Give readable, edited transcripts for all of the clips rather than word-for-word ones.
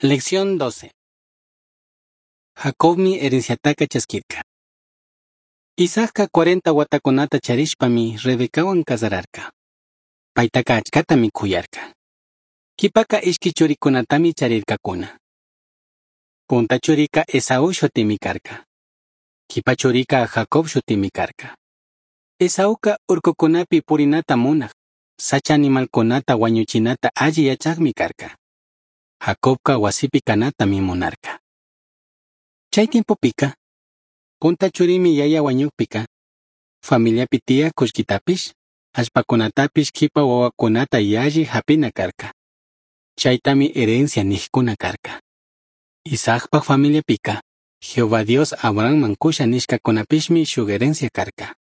Lección 12. Jacobmi herenciataca chasquirca. Isaacca 40 huatacunata charishpami Rebecahuan cazararca. Paitaca achcatami cuyarca. Quipaca ishqui churicunatami charircacuna. Punta churica Esaú shutimi carca. Quipa churica Jacob shutimi carca. Esauca urcucunapi purinata munaj, sacha animalcunata huañuchinata alli yachajmi carca. Jacobca huasipi canatami munarca. Chay tiempopika, punta churimi yaya huañukpika, familiapi tiyaj kullkitapish, allpacunatapish quipa wawakunata yalli japina karka. Chaytami herencia nijkuna karka. Isaacpaj familiapika, Jehová Dios Abrahamman cusha nishkakunapishmi shuk herencia karka.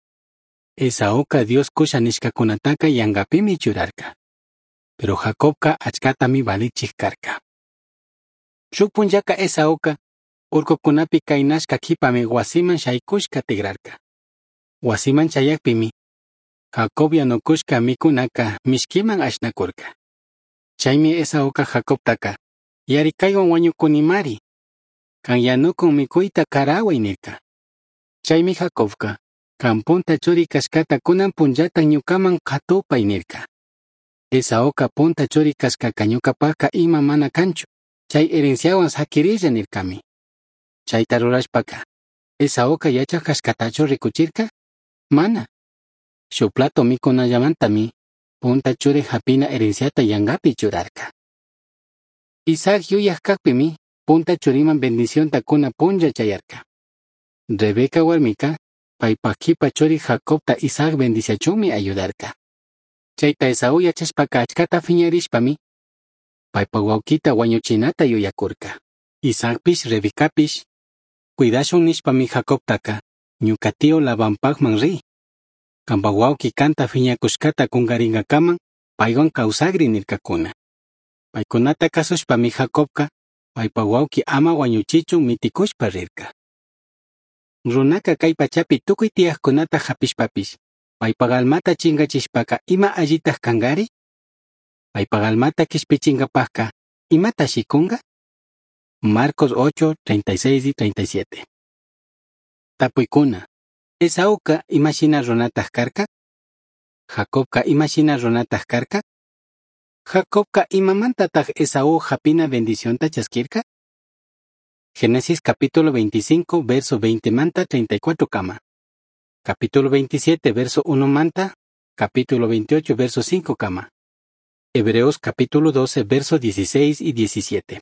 Esauca Dios cusha nishkakunataka yankapimi churarka. Pero Jacobka achkatami valichij karka. Shuk punllaka Esauka urkukunapi kaynashka kipami wasiman shaykushka tigrarka. Wasiman chayakpimi, Jacob yanukushka mikunaka mishkiman ashnakurka. Chaymi Esauka Jacobtaka, yarikaywan wañukunimari, kan yanukun mikuyta karaway nirka. Chaymi Jacobka, kan punta churi kashkata kunan punllata ñukaman qatupay nirka. Esauka punta churi kashkaka ñukapaka ima mana kanchu, chay herenciawan sakirilla nirkami. Chayta rurashpaka, Esauka yachaj kashkatachu rikuchirka? Mana. Shuk plato mikunallamantami, punta churi hapina herenciata yankapi churarka. Isaac yuyaj kakpimi, punta churiman bendicionta kuna punlla chayarka. Rebeca warmika, paypaj kipa churi Jacobta Isaac bendiciachunmi ayudarka. Chayta Esaú yachashpaka achkata fiñarishpami, paypaj wawkita wañuchinata yuyakurka. Isaacpish Rebecapish, cuidashun nishpami Jacobtaka, ñuka tío Labanpajman ri. Kanpaj wawki kanta fiñakushkata kunkarinkaman, paywan kawsakri nirkakuna. Paykunata kasushpami Jacobka, paypaj wawki ama wañuchichun mitikushpa rirka. Runaka kay pachapi tukuy tiyajkunata hapishpapish, paypaj almata chinkachishpaka ima allitaj kankari? Paypaj almata kishpichinkapajka, imatashi kunka? Marcos 8, 36 y 37. Tapuykuna. Esauka imashina runataj karka? Jacobka imashina runataj karka? Jacobka imamantataj Esaú hapina bendicionta chaskirka? Génesis capítulo 25, verso 20 manta 34 kama. Capítulo 27, verso 1 manta, capítulo 28, verso 5 kama. Hebreos capítulo 12, verso 16 y 17.